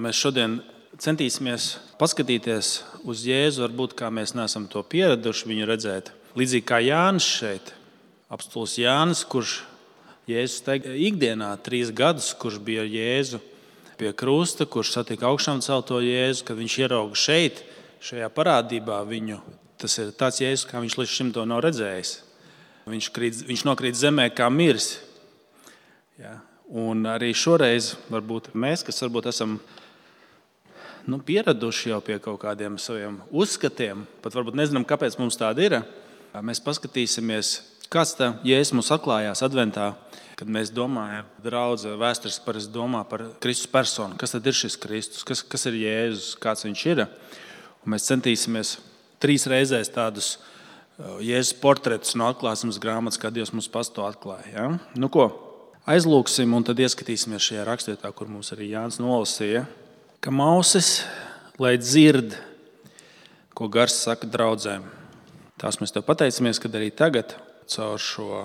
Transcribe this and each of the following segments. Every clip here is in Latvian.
mēs šodien centīsimies paskatīties uz Jēzu, varbūt kā mēs neesam to pieraduši viņu redzēt. Līdzīgi kā Jānis šeit, apostols Jānis, kurš Jēzus teica ikdienā 3 gadus, kurš bija ar Jēzu pie krusta, kurš satika augšām celto Jēzu, kad viņš ierauga šeit, šajā parādībā viņu. Tas ir tāds Jēzus, kā viņš līdz šim to nav redzējis. Viņš nokrīt zemē kā miris. Ja. Un arī šoreiz varbūt mēs, kas varbūt esam pieraduši jau pie kaut kādiem saviem uzskatiem, pat varbūt nezinām, kāpēc mums tāda ir, mēs paskatīsimies, kāds tā Jēzus mums atklājās adventā, kad mēs domājam, draudze vēstures parasti domā par Kristus personu. Kas tad ir šis Kristus? Kas ir Jēzus? Kāds viņš ir? Un mēs centīsimies 3 reizēs tādus Jēzus portretus no atklāsmes grāmatas, kā Dievs mums pats to atklāja. Ja? Nu ko, aizlūksim un tad ieskatīsimies šajā rakstvietā, kur mums arī Jānis nolasīja. Ka mausis, lai dzird, ko Gars saka draudzēm. Tās mēs tev pateicamies, kad arī tagad caur šo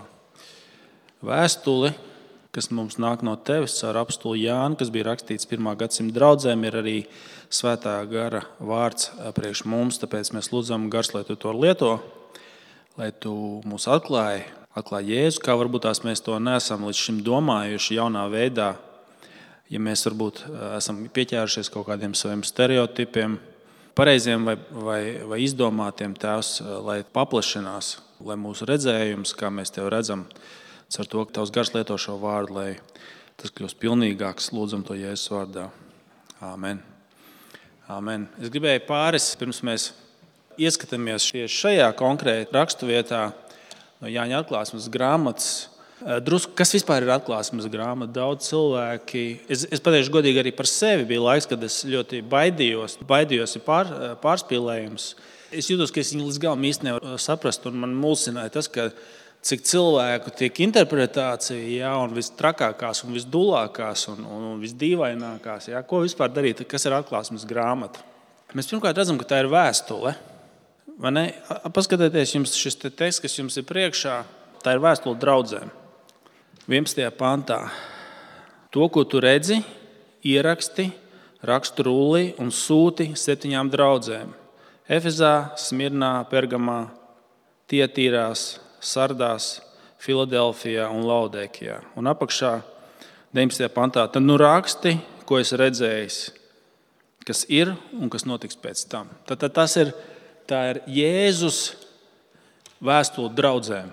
vēstuli, kas mums nāk no tevis, caur apostolu Jānu, kas bija rakstīts 1. gadsimta draudzēm, ir arī Svētā gara vārds priekš mums, tāpēc mēs lūdzam Gars, lai tu to lieto, lai tu mūs atklāji Jēzu, kā varbūt tās mēs to neesam līdz šim domājuši jaunā veidā. Ja mēs varbūt esam pieķērušies kaut kādiem saviem stereotipiem, pareiziem vai izdomātiem, Tēvs, lai paplašinās, lai mūsu redzējums, kā mēs Tev redzam, ar to, ka Tavs Gars lieto šo vārdu, lai tas kļūst pilnīgāks, lūdzam to Jēzus vārdā. Āmen. Āmen. Es gribēju pirms mēs ieskatāmies šajā konkrēti raksturvietā no Jāņa atklāsmes grāmatas, drusku, kas vispār ir atklāsmes grāmata? Daudz cilvēki, es pateikšu godīgi arī par sevi, bija laiks, kad es ļoti baidījos ir pārspīlējums. Es jūtos, ka es viņu līdz galam īsti nevaru saprast, un man mulsināja tas, ka cik cilvēku tiek interpretācija, ja, un vistrakākās, un visdulākās, un visdīvainākās, ja, ko vispār darīt, kas ir atklāsmes grāmata. Mēs pirmkārt redzam, ka tā ir vēstule. Vai ne? Paskatieties, jums šis teksts, kas jums ir priekšā, tā ir vēstule draudzēm. 11. pantā. To, ko tu redzi, ieraksti, rakstu rullī un sūti 7 draudzēm. Efezā, Smirnā, Pergamā, Tietīrās, Sardās, Filadelfijā un Laudēkijā. Un apakšā 19. pantā. Tad nu raksti, ko esi redzējis, kas ir un kas notiks pēc tam. Tad tā ir Jēzus vēstule draudzēm.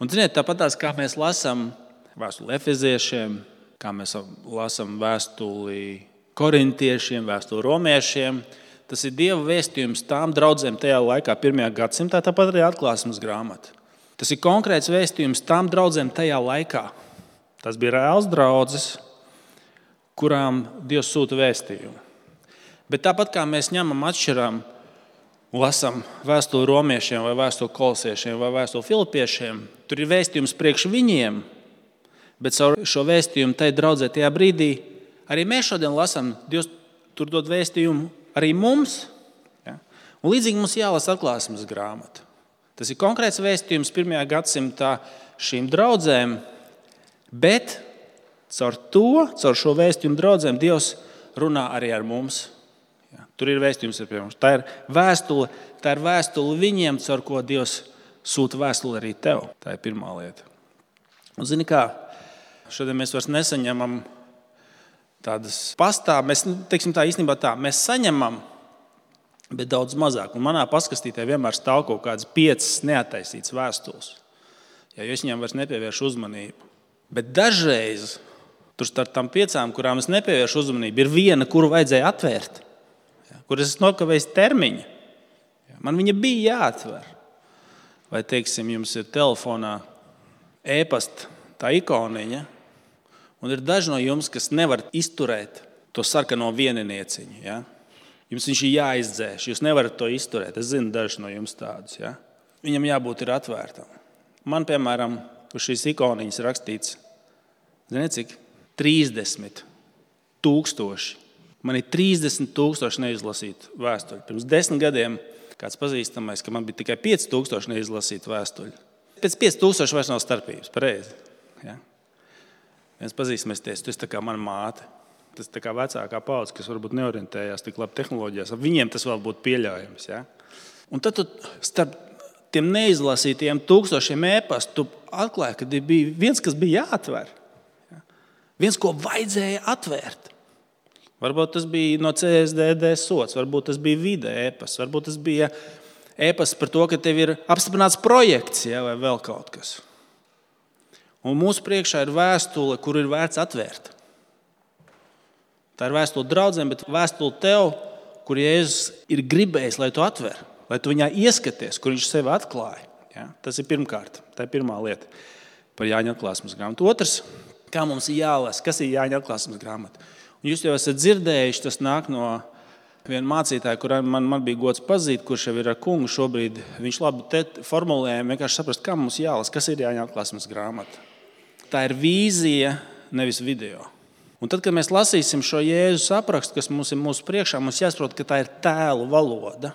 Un ziniet, tāpatās, kā mēs lasām vēstuli efeziešiem, kā mēs lasām vēstuli korintiešiem, vēstuli romiešiem, tas ir Dieva vēstījums tām draudzēm tajā laikā, 1. gadsimtā, tāpat arī atklāsmes grāmata. Tas ir konkrēts vēstījums tām draudzēm tajā laikā. Tas bija reāls draudzes, kurām Dievs sūta vēstījumu. Bet tāpat kā mēs ņemam atšķirām, lasām vēstuli romiešiem vai vēstuli kolosiešiem vai vēstuli filipiešiem, tur ir vēstījums priekš viņiem, bet caur šo vēstījumu tai draudzē tajā brīdī arī mēs šodien lasām, Dievs tur dod vēstījumu arī mums. Ja? Un līdzīgi mums jālasa atklāsmes grāmata. Tas ir konkrēts vēstījums 1. gadsimtā šīm draudzēm, bet caur šo vēstījumu draudzēm Dievs runā arī ar mums. Ja? Tur ir vēstījums pie mums. Tā ir vēstule viņiem, caur ko Dievs sūta vēstuli arī tev. Tā ir pirmā lieta. Un zini kā, šodien mēs vairs nesaņemam tādas pastāv. Mēs saņemam, bet daudz mazāk. Un manā paskastītē vienmēr stāv kaut kādas 5 neattaisītas vēstules. Ja es viņām vairs nepievēršu uzmanību. Bet dažreiz tur starp tām 5, kurām es nepievēršu uzmanību, ir viena, kuru vajadzēja atvērt. Kur es nokavējis termiņu. Man viņa bija jāatver. Vai, teiksim, jums ir telefonā e-pasta tā ikoniņa, un ir daži no jums, kas nevar izturēt to sarkano vieninieciņu. Ja? Jums viņš ir jāizdzēš, jūs nevarat to izturēt. Es zinu daži no jums tādus. Ja? Viņam jābūt ir atvērtam. Man, piemēram, uz šīs ikoniņas rakstīts, ziniet cik? 30 000. Man ir 30 000 neizlasītu vēstuļu. Pirms 10 gadiem kāds pazīstamais, ka man bija tikai 5 000 neizlasītu vēstuļu. Pēc 5 000 vairs nav starpības, pareizi. Ja? Viens pazīstamies, tu esi tā kā mana māte. Tas tā kā vecākā paudze, kas varbūt neorientējās tik labi tehnoloģijās, viņiem tas vēl būtu pieļaujams. Ja? Un tad tu starp tiem neizlasītiem tūkstošiem e-pastu atklāji, ka bija viens, kas bija jāatver. Ja? Viens, ko vajadzēja atvērt. Varbūt tas bija no CSDD sots, varbūt tas bija vide e-pasts, varbūt tas bija e-pasts par to, ka tev ir apstiprināts projekts, ja, vai vēl kaut kas. Un mūsu priekšā ir vēstule, kur ir vērts atvērt. Tā ir vēstule draudzēm, bet vēstule tev, kur Jēzus ir gribējis, lai tu atver, lai tu viņā ieskaties, kur viņš sevi atklāja. Ja? Tas ir pirmkārt, tā ir pirmā lieta par Jāņa atklāsmes grāmatu. Otrs, kā mums ir jālasa, kas ir Jāņa atklāsmes grāmata. Un jūs jau esat dzirdējuši, tas nāk no viena mācītāja, kuram man bija gods pazīt, kurš jau ir ar kungu šobrīd. Viņš labi formulēja, vienkārši saprast, kā mums jālasa, kas ir Jāņa atklāsmes grāmata. Tā ir vīzija, nevis video. Un tad, kad mēs lasīsim šo Jēzus aprakstu, kas mums ir mūsu priekšā, mums jāsaprot, ka tā ir tēlu valoda.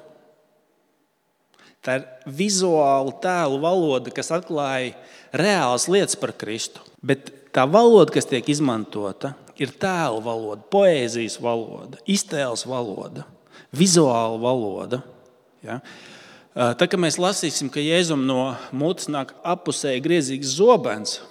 Tā ir vizuāla tēlu valoda, kas atklāja reālas lietas par Kristu. Bet tā valoda, kas tiek izmantota, ir tēlu valoda, poēzijas valoda, iztēles valoda, vizuāla valoda. Ja? Tad, kad mēs lasīsim, ka Jēzum no mutes nāk apusēji griezīgs zobens,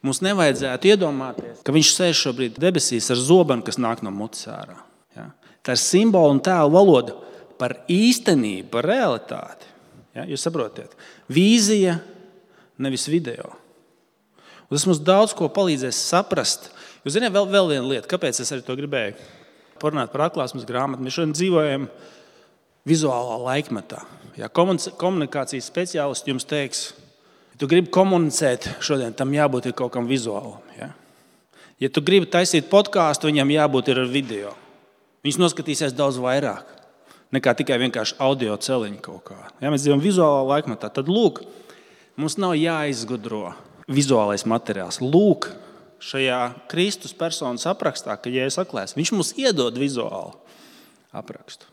mums nevajadzētu iedomāties, ka viņš sēž šobrīd debesīs ar zobenu, kas nāk no mutes ārā. Ja? Tā ir simbola un tēlu valoda par īstenību, par realitāti. Ja? Jūs saprotiet? Vīzija, nevis video. Un tas mums daudz ko palīdzēs saprast. Jūs zināt, vēl viena lieta, kāpēc es arī to gribēju parunāt par atklāsmes grāmatu. Mēs šodien dzīvojam vizuālā laikmetā. Ja? Komunikācijas speciālisti jums teiks, tu gribi komunicēt šodien, tam jābūt ir kaut kam vizuālam. Ja tu gribi taisīt podkāstu, viņam jābūt ir ar video. Viņš noskatīsies daudz vairāk nekā tikai vienkārši audio celiņu kaut kā. Ja mēs dzīvojam vizuālā laikmetā, tad lūk, mums nav jāizgudro vizuālais materiāls. Lūk, šajā Kristus personas aprakstā, ka Jēzus atklājas, viņš mums iedod vizuālu aprakstu.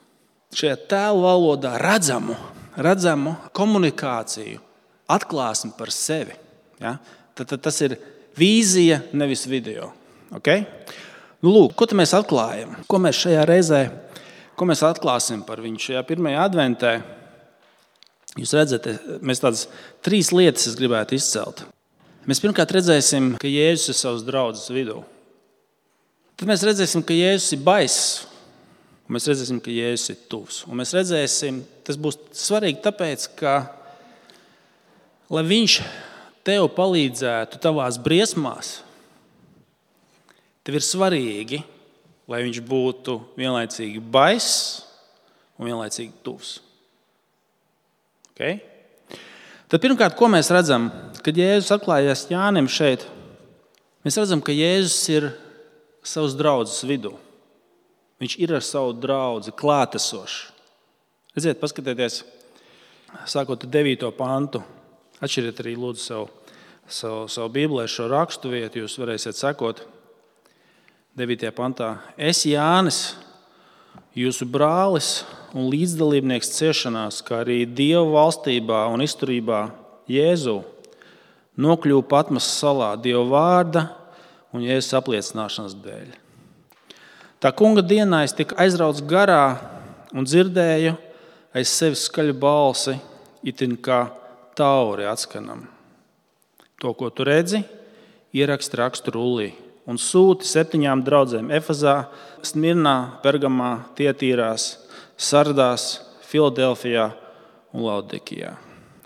Šajā tēlu valodā redzamu komunikāciju, atklāsmi par sevi. Ja? Tad tas ir vīzija, nevis video. Okay? Lūk, ko mēs atklājam? Ko mēs šajā reizē atklāsim par viņu šajā pirmajā adventē? Jūs redzat, mēs tādas 3 lietas gribētu izcelt. Mēs pirmkārt redzēsim, ka Jēzus ir savas draudzes vidū. Tad mēs redzēsim, ka Jēzus ir baiss. Un mēs redzēsim, ka Jēzus ir tuvs. Un mēs redzēsim, tas būs svarīgi tāpēc, ka lai viņš tev palīdzētu tavās briesmās, tev ir svarīgi, lai viņš būtu vienlaicīgi baiss un vienlaicīgi tuvs. Okay? Tad pirmkārt, ko mēs redzam, kad Jēzus atklājās Jānim šeit, mēs redzam, ka Jēzus ir savas draudzes vidū. Viņš ir ar savu draudzi klātesošs. Redziet, paskatieties, sākot ar 9. pantu. Atšķiriet arī lūdzu savu Bībelē šo rakstu vietu, jūs varēsiet sekot 9. pantā. Es, Jānis, jūsu brālis un līdzdalībnieks ciešanās, kā arī Dieva valstībā un izturībā Jēzu, nokļuvu Patmas salā Dieva vārda un Jēzus apliecināšanas dēļ. Tā kunga dienā es tiku aizrauts garā un dzirdēju aiz sevis skaļu balsi, itin kā tauri atskanam. To, ko tu redzi, ieraksti rakstu rullī un sūti 7 draudzēm Efezā, Smirnā, Pergamā, Tietīrās, Sardās, Filadelfijā un Laodikijā.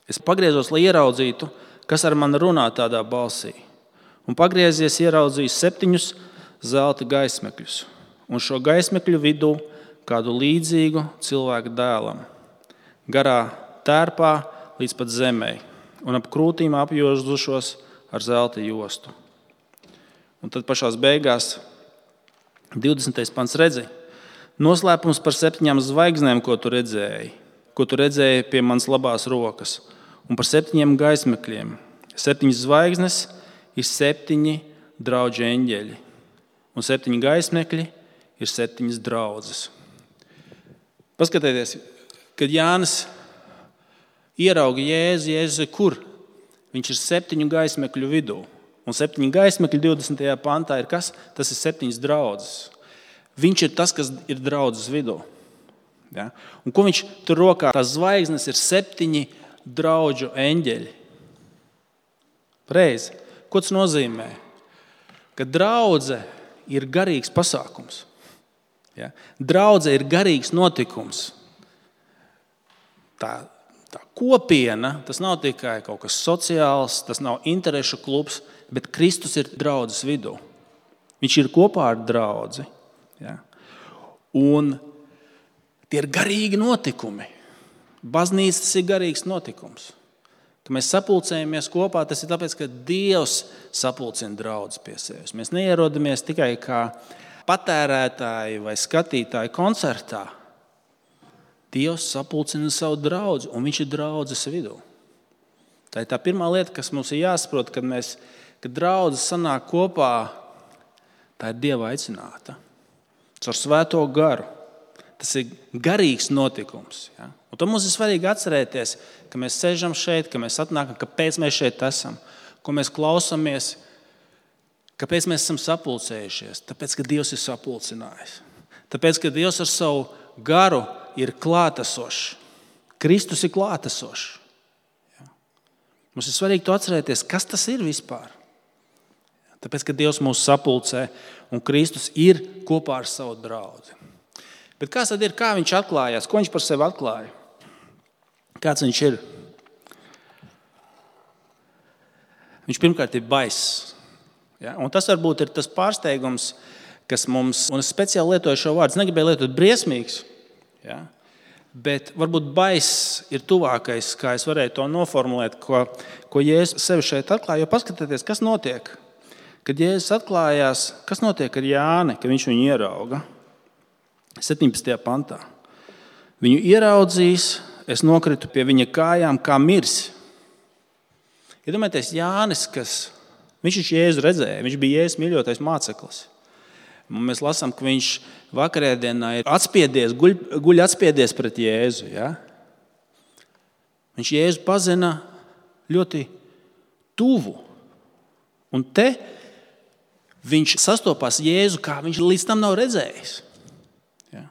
Es pagriezos, lai ieraudzītu, kas ar mani runā tādā balsī. Un pagriezies ieraudzīju 7 zelta gaismekļus. Un šo gaismekļu vidū kādu līdzīgu cilvēku dēlam. Garā tērpā līdz pat zemē, un ap krūtīm apjozušos ar zelta jostu. Un tad pašās beigās 20. pants redzi, noslēpums par 7 zvaigznēm, ko tu redzēji pie manas labās rokas, un par 7 gaismekļiem. 7 zvaigznes ir 7 draugu eņģeļi, un 7 gaismekļi ir 7 draudzes. Paskatieties, kad Jānis ierauga Jēzu ir kur? Viņš ir 7 gaismekļu vidū. Un 7 gaismekļi 20. pantā ir kas? Tas ir 7 draudzes. Viņš ir tas, kas ir draudzes vidū. Ja? Un ko viņš tur rokā? Tās zvaigznes ir 7 draudžu eņģeļi. Pareizi. Ko tas nozīmē? Ka draudze ir garīgs pasākums. Ja? Draudze ir garīgs notikums. Tā kopiena, tas nav tikai kaut kas sociāls, tas nav interešu klubs, bet Kristus ir draudzes vidū. Viņš ir kopā ar draudzi. Ja? Un tie ir garīgi notikumi. Baznīca tas ir garīgs notikums. Kad mēs sapulcējamies kopā, tas ir tāpēc, ka Dievs sapulcina draudzes pie sevis. Mēs neierodamies tikai kā patērētāji vai skatītāji koncertā. Dievs sapulcina savu draudzi, un viņš ir draudzes vidū. Tā ir tā pirmā lieta, kas mums ir jāsaprot, kad draudzes sanāk kopā, tā ir Dieva aicināta. Caur Svēto garu. Tas ir garīgs notikums. Ja? Un to mums ir svarīgi atcerēties, ka mēs sēžam šeit, ka mēs atnākam, kāpēc mēs šeit esam, ko mēs klausāmies, kāpēc mēs esam sapulcējušies. Tāpēc, ka Dievs ir sapulcinājis. Tāpēc, ka Dievs ar savu garu ir klātesošs. Kristus ir klātesošs. Ja? Mums ir svarīgi to atcerēties, kas tas ir vispār. Tāpēc, ka Dievs mūs sapulcē un Kristus ir kopā ar savu draudzi. Bet kāds tad ir, kā viņš atklājās? Ko viņš par sevi atklāja? Kāds viņš ir? Viņš pirmkārt ir baiss. Ja? Un tas varbūt ir tas pārsteigums, kas mums, un es speciāli lietoju šo vārdu, es negribēju lietot briesmīgs, ja? Bet varbūt baiss ir tuvākais, kā es varēju to noformulēt, ko Jēzus sevi šeit atklāja. Jo paskatieties, kas notiek. Kad Jēzus atklājās, kas notiek ar Jāni, kad viņš viņu ierauga? 17. pantā. Viņu ieraudzījis, es nokritu pie viņa kājām kā miris. Iedomājieties, Jānis, viņš Jēzu redzēja, viņš bija Jēzus mīļotais māceklis. Un mēs lasām, ka viņš vakarēdienā ir atspiedies, guļ atspiedies pret Jēzu. Ja? Viņš Jēzu pazina ļoti tuvu. Un te viņš sastopās Jēzu, kā viņš līdz tam nav redzējis. Ja?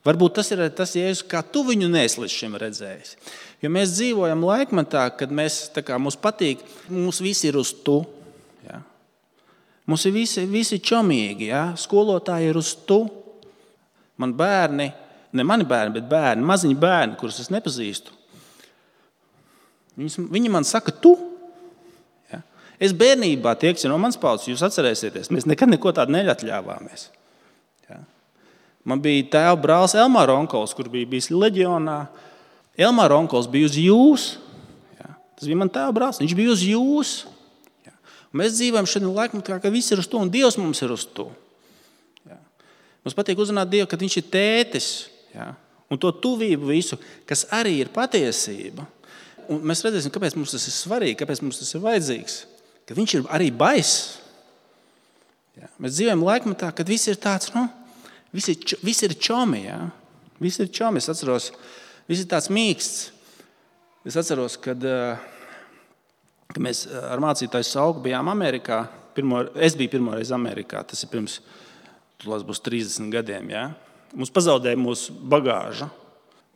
Varbūt tas ir tas Jēzus, kā tu viņu neesi līdz šim redzējis. Jo mēs dzīvojam laikmetā, kad mums patīk, mums visi ir uz tu. Ja? Mums ir visi čomīgi. Ja? Skolotāji ir uz tu. Man bērni, ne mani bērni, bet bērni, maziņi bērni, kurus es nepazīstu. Viņi man saka tu. Ja? Es bērnībā, tie, kas ir no manas paudzes, jūs atcerēsieties, mēs nekad neko tādu neatļāvāmies. Ja? Man bija tēva brālis Elmāra onkols, kur bija bijis leģionā. Elmāra onkols bija uz jūs. Ja? Tas bija man tēva brālis, viņš bija uz jūs. Ja? Un mēs dzīvojam šodien laikmetā, ka viss ir uz to, un Dievs mums ir uz to. Ja? Mums patīk uzrunāt Dievu, kad viņš ir tētis. Ja? Un to tuvību visu, kas arī ir patiesība. Un mēs redzēsim, kāpēc mums tas ir svarīgi, kāpēc mums tas ir vajadzīgs. Ka viņš ir arī baiss. Ja? Mēs dzīvojam laikmetā, kad viss ir tāds, viss ir čomi. Ja? Viss ir čomi. Es atceros, viss ir tāds mīksts. Es atceros, kad mēs ar mācītāju Sauku bijām Amerikā. Es biju pirmoreiz Amerikā. Tas ir pirms, būs 30 gadiem. Ja? Mums pazaudēja mūsu bagāža.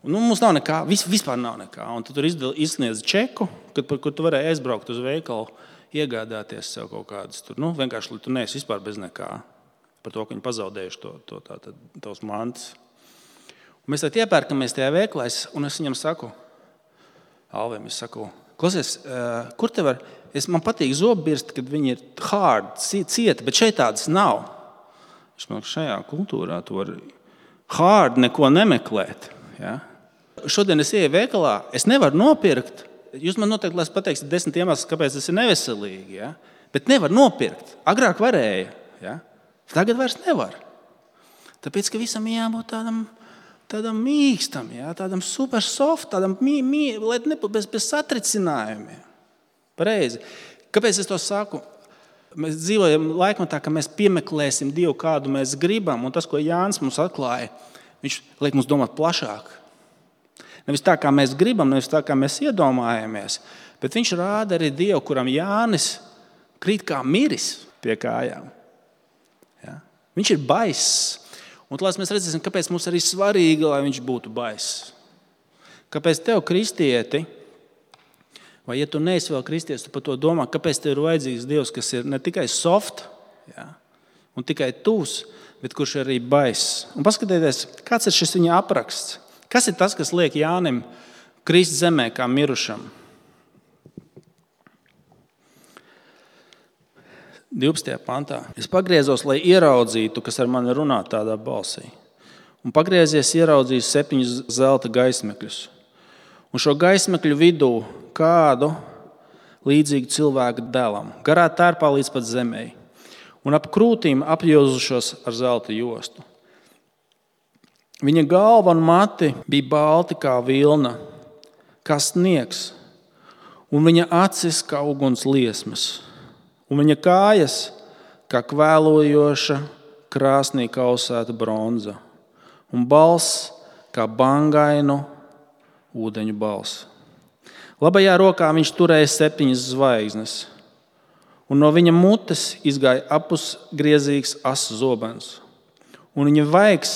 Mums nav nekā, vispār nav nekā. Un tu tur izsniedz čeku, kur tu varēji aizbraukt uz veikalu, iegādāties sev kaut kādas tur. Vienkārši, lai tu neesi vispār bez nekā. Par to, ka viņi pazaudējuši tos mantas. Un mēs tad iepērkamies tajā veikalā, un es viņam saku, Alvim, klausies, kur te var, man patīk zobbirsti, kad viņi ir hard, cieti, bet šeit tādas nav. Viņš man šajā kultūrā tu vari hard neko nemeklēt. Ja? Šodien es ieju veikalā, es nevaru nopirkt. Jūs man noteikti pateiksiet 10 iemeslus, kāpēc tas ir neveselīgi. Ja? Bet nevar nopirkt. Agrāk varēja. Ja? Tagad vairs nevar. Tāpēc, ka visam jābūt tādam mīkstam, ja? Tādam super soft, tādam bez satricinājumiem. Pareizi. Kāpēc es to saku? Mēs dzīvojam laikmetā, ka mēs piemeklēsim Dievu, kādu mēs gribam, un tas, ko Jānis mums atklāja, viņš liek mums domāt plašāk. Nevis tā, kā mēs gribam, nevis tā, kā mēs iedomājamies, bet viņš rāda arī Dievu, kuram Jānis krīt kā miris pie kājām. Ja? Viņš ir baiss. Un tad mēs redzēsim, kāpēc mums arī svarīgi, lai viņš būtu baiss. Kāpēc tev, kristieti, vai ja tu neesi vēl kristietis, tu par to domā, kāpēc tev ir vajadzīgs Dievs, kas ir ne tikai soft, ja, un tikai tūs, bet kurš ir arī baiss. Un paskatieties, kāds ir šis viņa apraksts. Kas ir tas, kas liek Jānim krist zemē kā mirušam? 12. pantā. Es pagriezos, lai ieraudzītu, kas ar mani runā tādā balsī. Un pagriezies ieraudzīju 7 zelta gaismekļus. Un šo gaismekļu vidū kādu līdzīgu cilvēku dēlam, garā tērpā līdz pat zemei, un ap krūtīm apjozušos ar zelta jostu. Viņa galva un mati bija balti kā vilna, kā sniegs, un viņa acis kā uguns liesmas, un viņa kājas kā kvēlojoša krāsnī kausēta bronza, un balss kā bangainu ūdeņu balss. Labajā rokā viņš turēja 7 zvaigznes, un no viņa mutes izgāja apusgriezīgs asu zobens, un viņa vaigs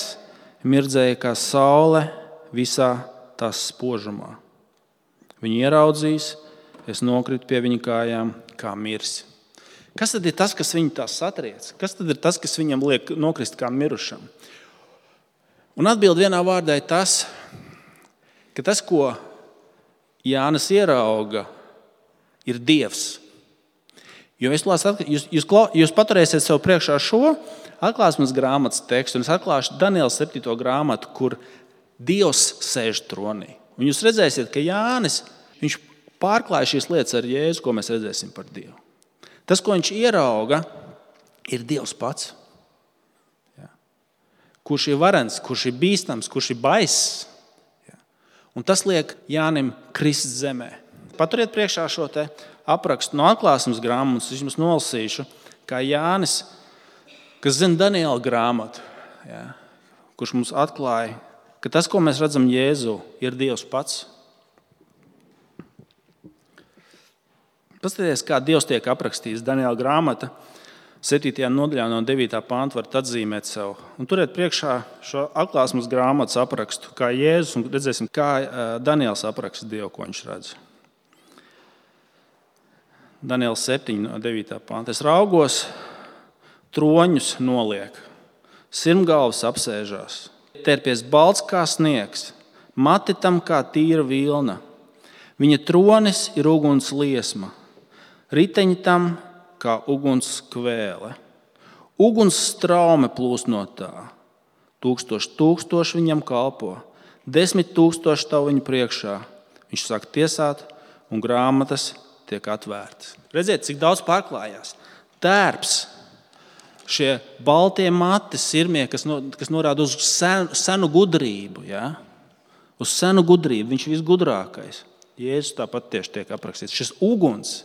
mirdzēja kā saule visā tās spožumā. Viņu ieraudzījis, es nokritu pie viņa kājām kā miris. Kas tad ir tas, kas viņu tā satriec? Kas tad ir tas, kas viņam liek nokrist kā mirušam? Un atbild vienā vārdā ir tas, ka tas, ko Jānis ierauga, ir Dievs. Jo jūs paturēsiet sev priekšā šo atklāsmes grāmatas tekstu, un es atklāšu Daniela 7. grāmatu, kur Dievs sēž tronī. Un jūs redzēsiet, ka Jānis viņš pārklāja šīs lietas ar Jēzu, ko mēs redzēsim par Dievu. Tas, ko viņš ierauga, ir Dievs pats. Kurš ir varens, kurš ir bīstams, kurš ir baiss. Un tas liek Jānim krist zemē. Paturiet priekšā šo te aprakstu no atklāsmes grāmatas, es jums nolasīšu, kā Jānis, kas zina Daniela grāmatu, kurš mums atklāja, ka tas, ko mēs redzam Jēzu, ir Dievs pats. Paskatieties, kā Dievs tiek aprakstīts. Daniela grāmata 7. nodaļā no 9. panta varat atzīmēt sev. Un turiet priekšā šo atklāsmes grāmatas aprakstu, kā Jēzus, un redzēsim, kā Daniels apraksta Dievu, ko viņš redz. Daniela 7. no 9. panta. Es raugos, troņus noliek, sirmgalvas apsēžās, tērpies balts kā sniegs, mati tam kā tīra vilna. Viņa tronis ir uguns liesma, riteņi tam kā uguns kvēle. Uguns straume plūst no tā. 1000 viņam kalpo, 10 000 tavu viņu priekšā. Viņš sāk tiesāt, un grāmatas tiek atvērtas. Redziet, cik daudz pārklājās. Tērps, šie baltie mati, sirmie, kas norāda uz senu gudrību. Ja? Uz senu gudrību, viņš ir visgudrākais. Jēzus tāpat tieši tiek aprakstīts. Šis uguns,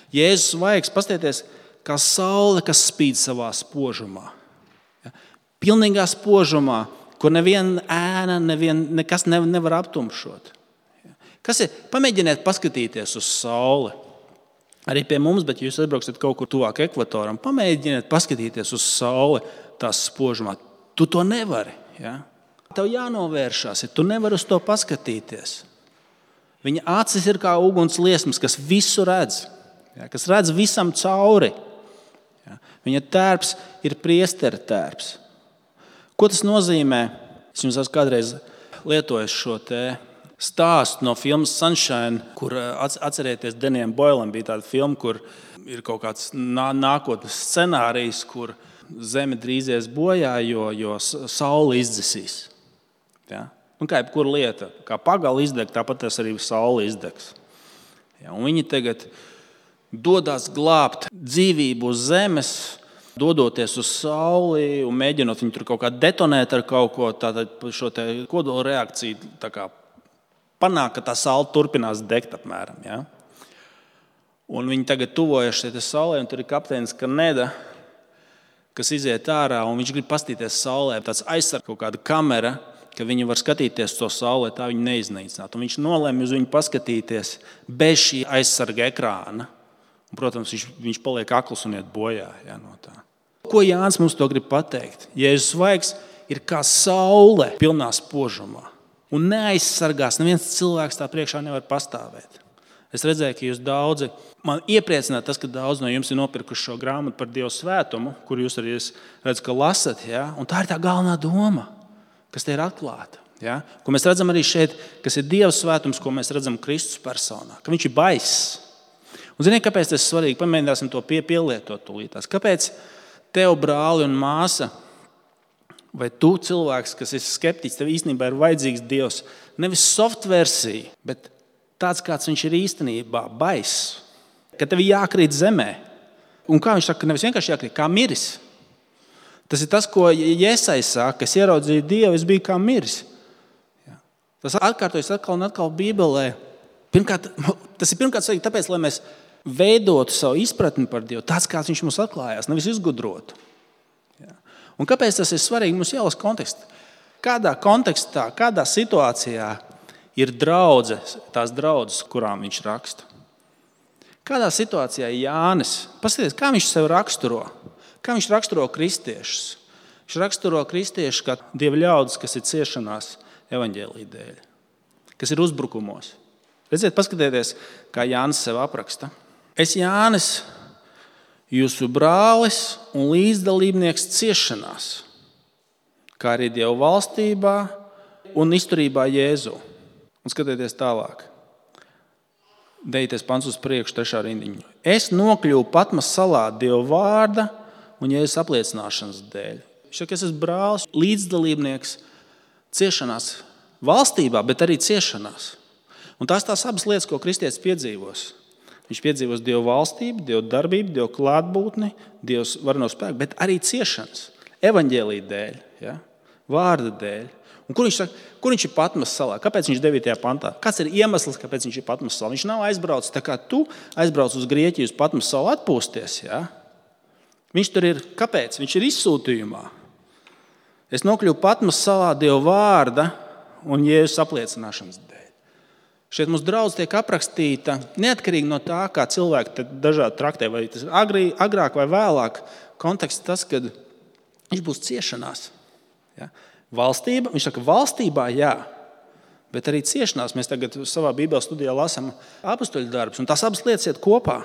Jēzus vaigs, paskatieties, kā saule, kas spīd savā spožumā. Ja? Pilnīgā spožumā, kur neviena ēna, nekas nevar aptumšot. Ja? Kas ir? Pamēģiniet paskatīties uz sauli. Arī pie mums, bet jūs atbrauksiet kaut kur tuvāk ekvatoram. Pamēģiniet paskatīties uz sauli tās spožumā. Tu to nevari. Ja? Tev jānovēršās, ja tu nevari uz to paskatīties. Viņa acis ir kā uguns liesmas, kas visu redz. Ja, kas redz visam cauri. Ja, viņa tērps ir priestera tērps. Ko tas nozīmē? Es jums esmu kādreiz lietojis šo te stāstu no filmas Sunshine, kur atcerieties, Denijam Boilam bija tāda filma, kur ir kaut kāds nākotnes scenārijs, kur Zeme drīzies bojā, jo saule izdzesīs. Ja? Un kā jebkura lieta, kā pagala izdeg, tāpat tas arī saule izdegs. Ja, un viņi tagad dodas glābt dzīvību uz zemes, dodoties uz sauli un mēģinot viņu tur kaut kā detonēt ar kaut ko, tātad šo te kodola reakciju tā kā panāk, ka tā saule turpinās degt apmēram. Ja? Un viņi tagad tuvojas šai saulē, un tur ir kapteinis Kaneda, kas iziet ārā, un viņš grib pastīties saulē. Tāds aizsarg kaut kāda kamera, ka viņi var skatīties to saulē, tā viņi neiznīcināt. Un viņš nolēma uz viņu paskatīties bez šī aizsarga ekrāna. Un, protams, viņš paliek akls un iet bojā no tā. Ko Jānis mums to grib pateikt? Jēzus vaigs ir kā saule pilnā spožumā. Un neaizsargās, neviens cilvēks tā priekšā nevar pastāvēt. Es redzēju, ka jūs daudzi, man iepriecināja tas, ka daudz no jums ir nopirkuši šo grāmatu par Dieva svētumu, kur jūs arī redzat, ka lasat. Ja? Un tā ir tā galvenā doma, kas te ir atklāta. Ja? Ko mēs redzam arī šeit, kas ir Dieva svētums, ko mēs redzam Kristus personā. Ka viņš ir baiss. Un ziniet, kāpēc tas ir svarīgi? Pamēģināsim to pielietot tūlītās. Kāpēc tev, brāli un māsa, vai tu cilvēks, kas ir skeptiķis, tev īstenībā ir vajadzīgs Dievs, nevis soft versija, bet tāds, kāds viņš ir īstenībā, baiss, ka tev ir jākrīt zemē. Un kā viņš saka, nevis vienkārši jākrīt, kā miris. Tas ir tas, ko Jēzais saka, es ieraudzīju Dievu, es biju kā miris. Tas atkārtojas atkal un atkal Bībelē. Tas ir pirmkārt svarīgi tāpēc, lai mēs veidotu savu izpratni par Dievu, tāds, kāds viņš mums atklājās, nevis izgudrotu. Un kāpēc tas ir svarīgi? Mums jālasa konteksts. Kādā kontekstā, kādā situācijā ir tās draudzes, kurām viņš raksta? Kādā situācijā Jānis, paskatieties, kā viņš sev raksturo? Kā viņš raksturo kristiešus? Viņš raksturo kristiešus kā Dieva ļaudis, kas ir ciešanās evaņģēlija dēļ, kas ir uzbrukumos. Redziet, paskatieties, kā Jānis sev apraksta. Es, Jānis, jūsu brālis un līdzdalībnieks ciešanās, kā arī Dieva valstībā un izturībā Jēzu. Un skatieties tālāk. Dejieties pants uz priekšu, 3. rindiņu. Es nokļuvu Patmas salā Dieva vārda un Jēzus apliecināšanas dēļ. Viņš saka, es esmu brālis, līdzdalībnieks ciešanās valstībā, bet arī ciešanās. Un tās abas lietas, ko kristietis piedzīvos. Viņš piedzīvos Dieva valstību, Dieva darbību, Dieva klātbūtni, Dieva vareno spēku, bet arī ciešanas. Evaņģēlija dēļ, vārda dēļ. Un kur viņš ir Patmas salā? Kāpēc viņš 9. pantā? Kāds ir iemesls, kāpēc viņš ir Patmas salā? Viņš nav aizbraucis tā kā tu aizbrauc uz Grieķiju, uz Patmas salu atpūsties. Ja? Viņš tur ir. Kāpēc? Viņš ir izsūtījumā. Es nokļuvu Patmas salā Dieva vārda un Jēzus apliecināšanas dēļ. Šeit mums draudz tiek aprakstīta neatkarīgi no tā, kā cilvēki dažādi traktē, vai tas agrāk vai vēlāk konteksts tas, kad viņš būs ciešanās. Ja? Valstība, viņš saka, valstībā jā, bet arī ciešanās. Mēs tagad savā Bībeles studijā lasām apustuļu darbus, un tās abas lietas iet kopā.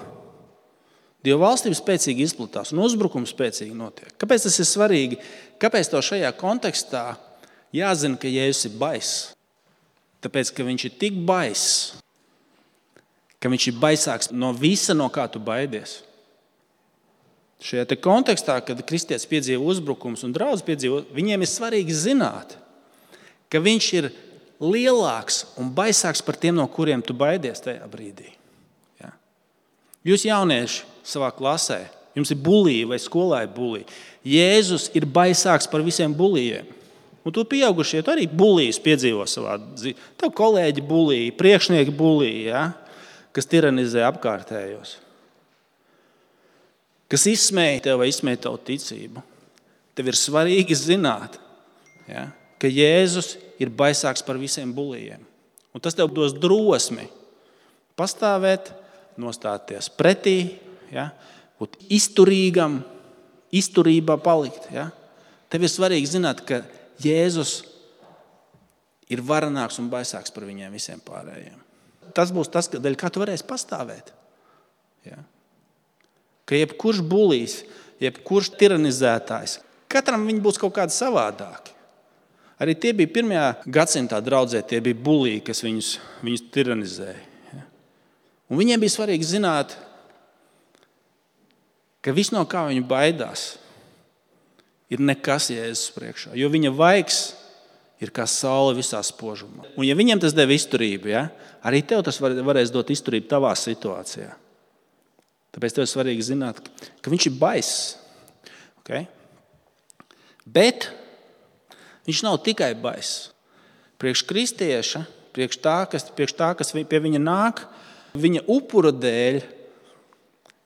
Dieva valstība spēcīgi izplatās un uzbrukums spēcīgi notiek. Kāpēc tas ir svarīgi? Kāpēc to šajā kontekstā jāzina, ka Jēzus ir baiss? Tāpēc, ka viņš ir tik baiss, ka viņš ir baisāks no visa, no kā tu baidies. Šajā kontekstā, kad kristietis piedzīvo uzbrukums un draudz piedzīvo, viņiem ir svarīgi zināt, ka viņš ir lielāks un baisāks par tiem, no kuriem tu baidies tajā brīdī. Ja? Jūs jaunieši savā klasē, jums ir bulija vai skolā ir bulija. Jēzus ir baisāks par visiem bulijiem. Un tu pieaugušie tu arī bulijas piedzīvo savā dzīvē. Tev kolēģi bulija, priekšnieki bulija, kas tiranizē apkārtējos. Kas izsmēja tev vai izsmēja tavu ticību. Tev ir svarīgi zināt, ka Jēzus ir baisāks par visiem bulijiem. Un tas tev dos drosmi pastāvēt, nostāties pretī, būt izturīgam, izturībā palikt. Tev ir svarīgi zināt, ka Jēzus ir varenāks un baisāks par viņiem visiem pārējiem. Tas būs tas, dēļ kā tu varēsi pastāvēt. Ka jebkurš bulijs, jebkurš tiranizētājs, katram viņi būs kaut kādi savādāki. Arī tie bija 1. gadsimtā draudzē, tie bija buliji, kas viņus tiranizēja. Un viņiem bija svarīgi zināt, ka viss, no kā viņi baidās, ir nekas Jēzus priekšā. Jo viņa vaigs ir kā saule visā spožumā. Un ja viņiem tas deva izturību, arī tev tas varēs dot izturību tavā situācijā. Tāpēc tev ir svarīgi zināt, ka viņš ir baiss. Okay? Bet viņš nav tikai baiss. Priekš kristieša, priekš tā, kas pie viņa nāk, viņa upura dēļ,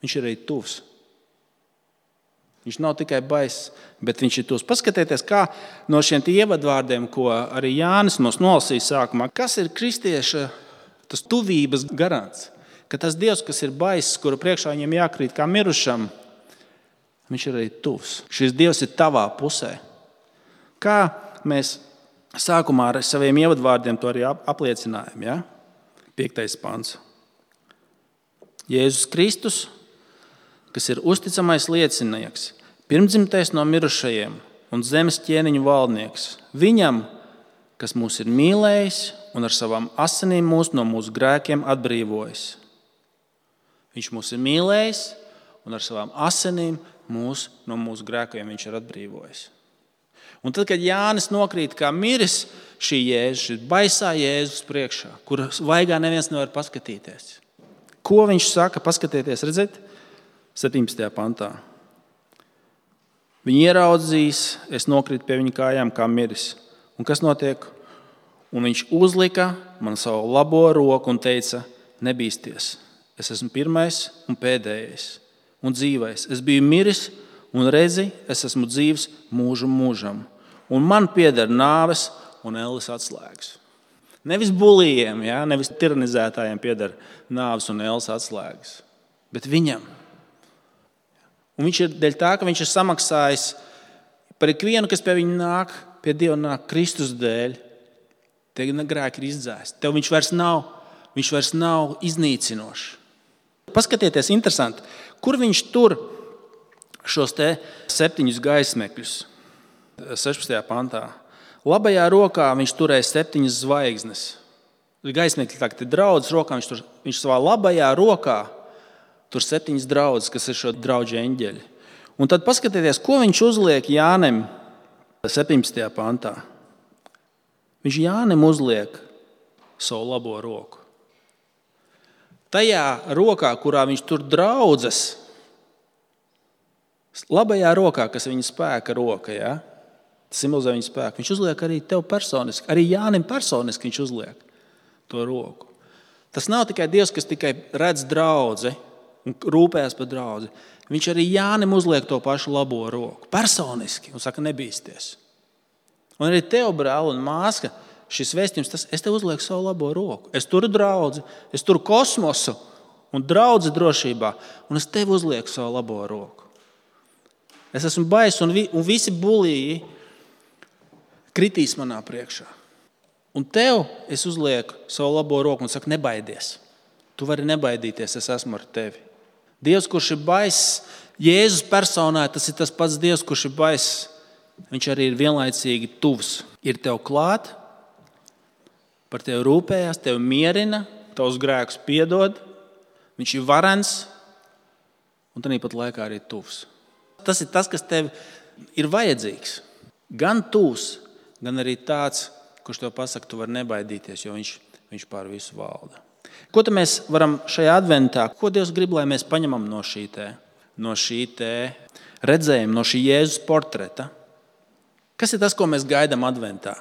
viņš ir arī tuvs. Viņš nav tikai baiss, bet viņš ir tuvs. Paskatieties, kā no šiem ievadvārdiem, ko arī Jānis mums nolasīja sākumā, kas ir kristieša tas tuvības garants. ka tas Dievs, kas ir baiss, kura priekšā viņam jākrīt kā mirušam, viņš ir arī tuvs. Šis Dievs ir tavā pusē. Kā mēs sākumā ar saviem ievadvārdiem to arī apliecinājām, ja? 5. pants. Jēzus Kristus, kas ir uzticamais liecinieks, pirmdzimtais no mirušajiem un zemes ķēniņu valdnieks, viņam, kas mūs ir mīlējis un ar savām asinīm mūs no mūsu grēkiem atbrīvojis. Viņš mūs ir mīlējis un ar savām asinīm mūs no mūsu grēkiem viņš ir atbrīvojis. Un tad, kad Jānis nokrīt kā miris, šī Jēzus, šī baisā Jēzus priekšā, kur vaigā neviens nevar paskatīties. Ko viņš saka? Paskatieties, redzēt? 17. pantā. Viņi ieraudzīs, es nokrītu pie viņa kājām kā miris. Un kas notiek? Un viņš uzlika man savu labo roku un teica, nebīsties. Es esmu pirmais un pēdējais un dzīvais. Es biju miris un redzi, es esmu dzīvs mūžu mūžam. Un man pieder nāves un elles atslēgas. Nevis bulijiem, ja? Nevis tiranizētājiem pieder nāves un elles atslēgas, bet viņam. Un viņš ir dēļ tā, ka viņš ir samaksājis par ikvienu, kas pie viņa nāk, pie Dieva nāk Kristus dēļ. Tie grēki ir izdzēsti. Tev viņš vairs nav iznīcinošs. Paskatieties, interesanti, kur viņš tur šos 7 gaismekļus 16. pantā. Labajā rokā viņš turēja 7 zvaigznes. Gaismekļi tagad ir draudzes rokā, viņš savā labajā rokā tur 7 draudzes, kas ir šo draudžu eņģeļi. Un tad paskatieties, ko viņš uzliek Jānim 17. pantā. Viņš Jānim uzliek savu labo roku. Tajā rokā, kurā viņš tur draudzes, labajā rokā, kas viņa spēka roka, ja? Simbolizē viņa spēku. Viņš uzliek arī tev personiski, arī Jānim personiski viņš uzliek to roku. Tas nav tikai Dievs, kas tikai redz draudzi un rūpējas par draudzi. Viņš arī Jānim uzliek to pašu labo roku, personiski, un saka, nebīsties. Un arī tev, brāl un māska, šis vēstījums, es tev uzlieku savu labo roku. Es turu draudzi, es turu kosmosu un draudzi drošībā, un es tev uzlieku savu labo roku. Es esmu baiss, un visi bulīgi kritīs manā priekšā. Un tev es uzlieku savu labo roku un saku, nebaidies. Tu vari nebaidīties, es esmu ar tevi. Dievs, kurš ir baiss, Jēzus personā, tas ir tas pats Dievs, kurš ir baiss. Viņš arī ir vienlaicīgi tuvs. Ir tev klāt, par tevi rūpējās, tevi mierina, tavus grēkus piedod. Viņš ir varens un tāpat laikā arī tuvs. Tas ir tas, kas tev ir vajadzīgs. Gan tuvs, gan arī tāds, kurš tev pasaka, tu vari nebaidīties, jo viņš pār visu valda. Ko tad mēs varam šajā adventā, ko Dievs grib, lai mēs paņemam no šī redzējuma, no šī Jēzus portreta? Kas ir tas, ko mēs gaidām adventā?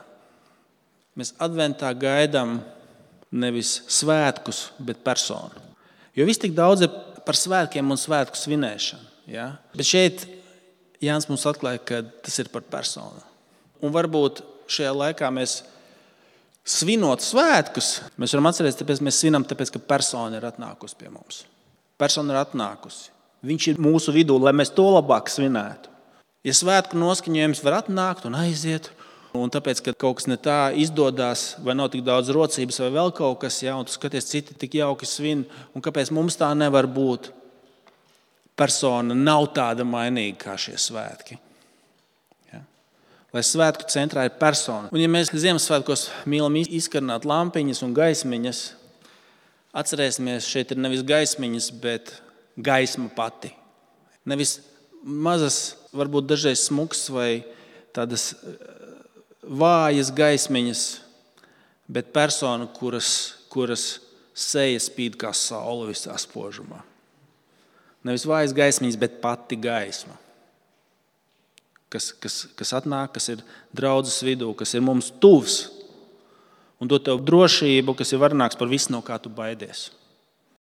Mēs adventā gaidām nevis svētkus, bet personu. Jo viss tik daudz ir par svētkiem un svētku svinēšanu. Ja? Bet šeit Jānis mums atklāja, ka tas ir par personu. Un varbūt šajā laikā mēs svinot svētkus, mēs varam atcerēties, tāpēc mēs svinam, tāpēc, ka persona ir atnākusi pie mums. Persona ir atnākusi. Viņš ir mūsu vidū, lai mēs to labāk svinētu. Ja svētku noskaņojums var atnākt un aiziet, un tāpēc, ka kaut kas ne tā izdodas, vai nav tik daudz rocības, vai vēl kaut kas, ja, un tu skaties, citi tik jauki svin, un kāpēc mums tā nevar būt? Persona nav tāda mainīga kā šie svētki. Ja? Lai svētku centrā ir persona. Un ja mēs Ziemassvētkos mīlam izkarināt lampiņas un gaismiņas, atcerēsimies, šeit ir nevis gaismiņas, bet gaisma pati. Nevis mazas, varbūt dažreiz smuks vai tādas vājas gaismiņas, bet persona, kuras seja spīd kā saule visā spožumā. Nevis vājas gaismiņas, bet pati gaisma, kas atnāk, kas ir draudzes vidū, kas ir mums tuvs un dod tev drošību, kas ir varenāks par visu, no kā tu baidies.